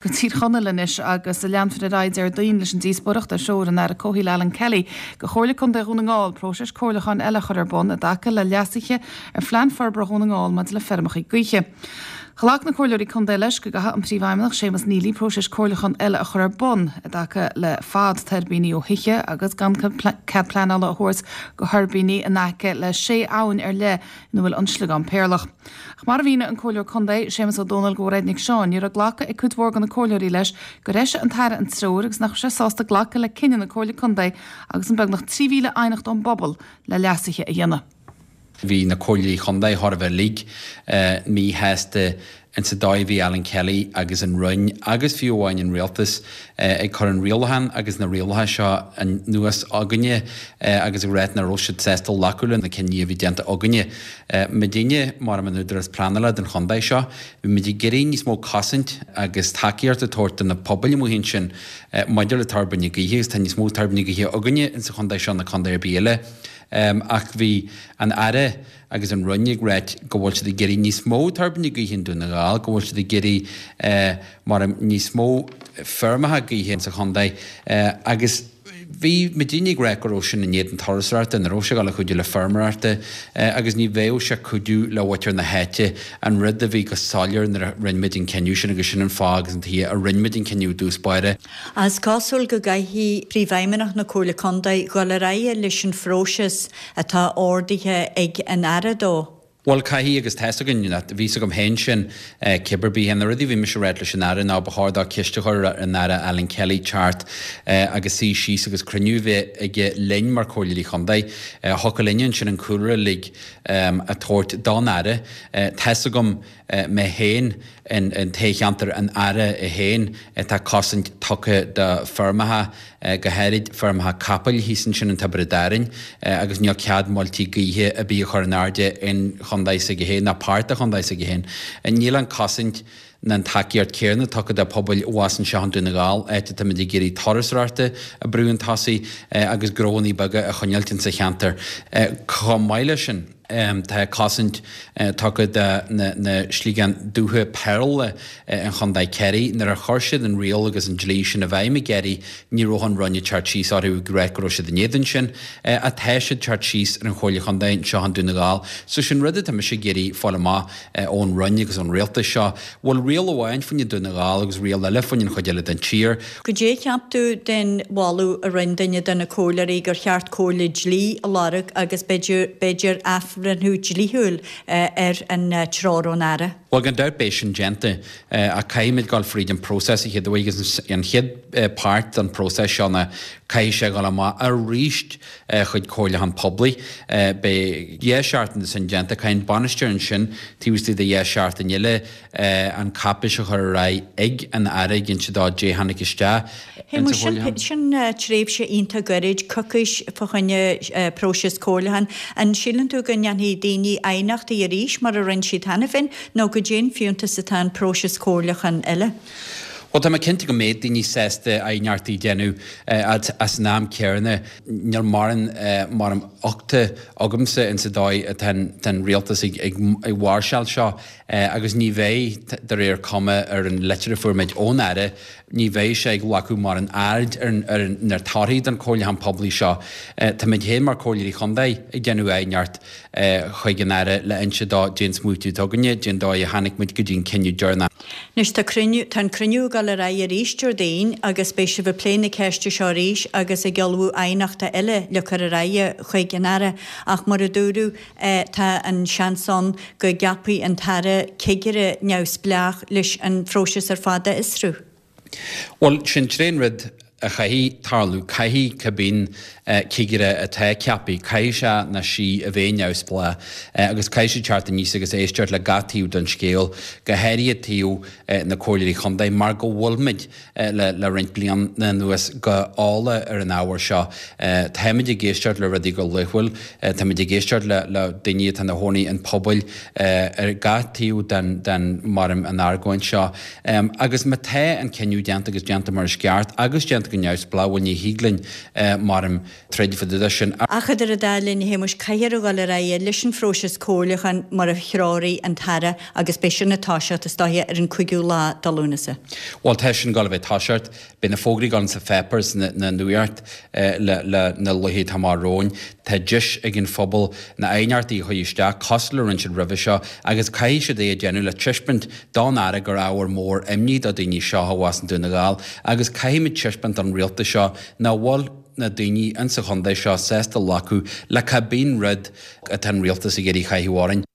Go Tír Chonaill anois agus leanfar ar aghaidh Déardaoin leis an díospóireacht ar threoir an Aire Comhshaoil Alan Kelly go Chomhairle Contae Dhún na nGall próiseas comhairliúcháin eile a chur ar bun i dtaca le leasuithe ar Phlean Forbartha Dhún na nGall maidir le feirmeacha gaoithe. Ghlac na Comhairleoirí Contae leis go gcaithfidh an Príomhfheidhmeannach Séamus Neely próiseas comhairliúcháin eile a chur ar bun i dtaca le fad tuirbíní ó thithe agus gan cead pleanála a thabhairt go thuirbíní in aice le sé abhainn ar leith ina bhfuil an sliogán péarlach. Ach mar a mhínigh an Comhairleoir Contae, Séamus Ó Dónaill go Mhairéad Nic Seáin, ní raibh glactha ag cuid mhór de na Comhairleoirí leis gur eisigh an tAire an treoir agus nach raibh sé sásta glacadh le cinneadh na Comhairle Contae agus an beagnach 3,000 aighneacht ón bpobal le leasuithe a dhéanamh. Bhí na Comhairleoirí Chontae thar a bheith uilig míshásta in sa dóigh a bhí Alan Kelly agus an Roinn agus fiú amháin an Rialtas ag cur an rialachán agus na rialacha seo anuas againne agus ag ráit nach raibh siad sásta glacadh le na cinní a bhí déanta againne. Muidinne, mar an Údarás Pleanála don chontae seo, bhí muid ag iarraidh níos mó cosaint agus tacaíocht a tabhairt do na pobail amuigh ansin maidir le tuirbíní gaoithe agus tá níos mó tuirbíní gaoithe againne in sa chontae seo ná contae ar bith eile ach bhí an Aire agus an Roinn ag ráit go bhfuil siad ag iarraidh níos mó tuirbíní gaoithe i nDún na nGall, go bhfuil siad ag iarraidh mar níos mó feirmeacha gaoithe sa chontae agus bhí muidinne ag ráit go raibh sin in éadan turasóireachta, ní raibh sé ag dul a chuidiú le feirmeoireachta agus ní bheadh sé ag cuidiú le mhuintir na háite, an rud a bhí go soiléir nuair a rinne muid an cinneadh sin agus sin an fáth agus an tuige a rinne muid an cinneadh i dtús báire. Is cosúil go gcaithfidh Príomhfheidhmeannach na Comhairle Contae dhul ar aghaidh leis an phróiseas atá ordaithe ag an Aire dó. Bhuel, caithfidh agus tá's againn, bhí 's agam féin sin cibé ar bith. Na rudaí a bhí mise a ráit leis an Aire ná ba chóir dó ceist a chur ar an Aire Alan Kelly teacht agus suí síos agus cruinniú a bheith aige linn mar Chomhairleoirí Chontae. Thiocfadh linne ansin an cúlra uilig a tabhairt don Aire. Tá's agam mé féin in toghcheantar an Aire é féin, tá cosaint tugtha do feirmeacha, go háirid feirmeacha capaill thíos ansin in Tiobraid Árainn agus níl cead muiltí gaoithe ar bith a chur in airde in chontae s'aige féin ná páirt de chontae s'aige féin. Níl an cosaint ná an tacaíocht céanna tugtha do pobail abhus anseo in Dún na nGall, áit atáimid ag iarraidh turasóireachta a brú chun tosaigh agus gnóanna beaga a choinneáilt insa cheantar. Chomh maith leis sin. Tá cosaint tugtha do na sliogáin dubha péarla in Chontae Chiarraí. Nuair a chuir siad an riail agus an dlí sin i bhfeidhm i gCiarraí, ní raibh an Roinn ag teacht síos orthu ag ráit go raibh siad in éadan sin. Ach tá siad ag teacht síos ar an Chomhairle Chontae anseo i nDún na nGall. So sin rud atá mise ag iarraidh fáil amach ón Roinn agus ón Rialtas seo. Bhfuil riail amháin fá choinne Dún na nGall agus riail eile fá choinne an chuid eile den tír? Goidé a cheap tú den mholadh a rinne duine de na comhairleoirí gur cheart comhairle dlí a lorg agus b'fhéidir athbhreithniú dlíthiúil ar an treoir ón Aire? Bhuel, gan dabht beidh sin déanta, ach caithfimid dul fríd an próiseas a chéad uair agus an chéad páirt den próiseas seo ná caithfidh sé dhul amach arís chuig comhairliúchán poiblí. Beidh 2 seachtain de sin déanta, caithfidh an bainisteoir ansin taobh istigh de 2 seachtain eile an cáipéis a chur ar aghaidh ag an Aire ag inse dó goidé tháinig isteach insa chomhairliúchán. Sin tréimhse iontach gairid, coicís fá choinne próiseas comhairliúcháin. An síleann tú go ndéanfaidh daoine aighneachtaí arís mar a rinne siad cheana féin nó goidé an fiúntas atá an próiseas comhairliúcháin eile? Bhuel, tá mé cinnte go mbeidh daoine sásta aighneachtaí a dhéanamh ach san am céanna níl mórán mórán uchta agamsa insa dóigh atá an rialtas ag máirseáil seo. Agus ní bheidh, de réir cuma ar an litir a fuair muid ón Aire, ní bheidh sé ag glacadh mórán aird ar na torthaí den chomhairliúchán poiblí seo. Táimid féin mar Chomhairleoirí Chontae ag déanamh aighneacht chuig an Aire le inse dó goidé an smaoitiú atá againne, goidé an dóigh a tháinig muid go dtí an cinneadh deireanach. Anois tá cruinniú, tá an cruinniú ag dul ar aghaidh arís Déardaoin agus beidh sibh ag plé na ceiste seo arís agus ag ullmhú aighneachta eile le cur ar aghaidh chuig an Aire ach mar a dúradh, Tá an seans ann go gceapfaidh an tAire cigire neamhspleách leis an phróiseas ar fad a fhiosrú. Bhuel, sin tré an rud a chaithfidh tarlú. Caithfidh cibé cigire atá ceaptha, caithfidh sé nó sí a bheith neamhspleách agus caithfidh siad teacht aníos agus éisteacht le gach taobh den scéal, go háirithe taobh na Comhairleoirí Chontae, mar go bhfuil muid le roinnt bliana anuas go eolach ar an ábhar seo. Táimid ag éisteacht le rudaí go laethúil, táimid ag éisteacht le daoine atá ina chónaí in pobail ar gach taobh den mar an argóint seo. Agus má tá an cinneadh déanta agus déanta mar is ceart agus déanta. siad go neamhspleách, bhuel ní thig linn, maram, troid fá dtaobh de sin. Ach idir an dá linn, a Shéamuis, caithfear a dhul ar aghaidh leis an phróiseas comhairliúcháin mar a threoraigh an tAire agus beidh sin ag toiseacht, is dóiche, ar an 5ú lá de Lúnasa. Bhuel, tá sin ag dul a bheith ag toiseacht. Beidh na fógraí ag dul insa pháipéar, sna nuacht le na laetha atá amach romhainn. Tá deis ag an phobal na aighneachtaí a chur isteach, cosúil le rinne siad roimhe seo, agus caithfidh siad é a déanamh le taispeáint don Aire gur ábhar mór imní do daoine seo abhus i nDún na nGall agus caithfimid taispeáint don rialtas seo nach bhfuil na daoine insa chontae seo sásta glacadh le cibé rud atá an rialtas ag iarraidh a chaitheamh orainn.